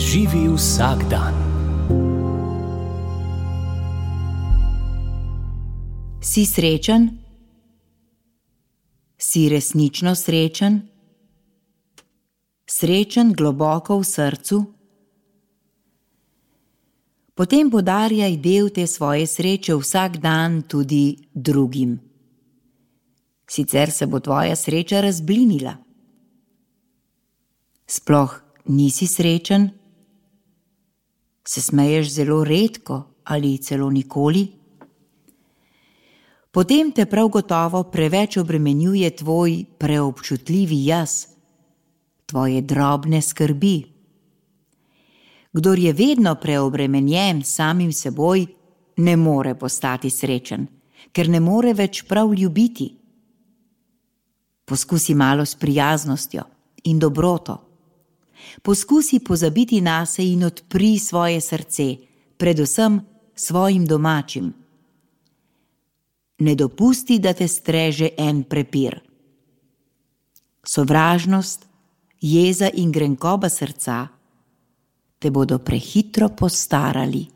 Živi vsak dan. Si srečen? Si resnično srečen? Srečen globoko v srcu? Potem podarjaj del te svoje sreče vsak dan tudi drugim. Sicer se bo tvoja sreča razblinila. Sploh nisi srečen? Se smeješ zelo redko ali celo nikoli? Potem te prav gotovo preveč obremenjuje tvoj preobčutljivi jaz, tvoje drobne skrbi. Kdor je vedno preobremenjen samim seboj, ne more postati srečen, ker ne more več prav ljubiti. Poskusi malo s prijaznostjo in dobroto. Poskusi pozabiti nase in odpri svoje srce, predvsem svojim domačim. Ne dopusti, da te streže en prepir. Sovražnost, jeza in grenkoba srca te bodo prehitro postarali.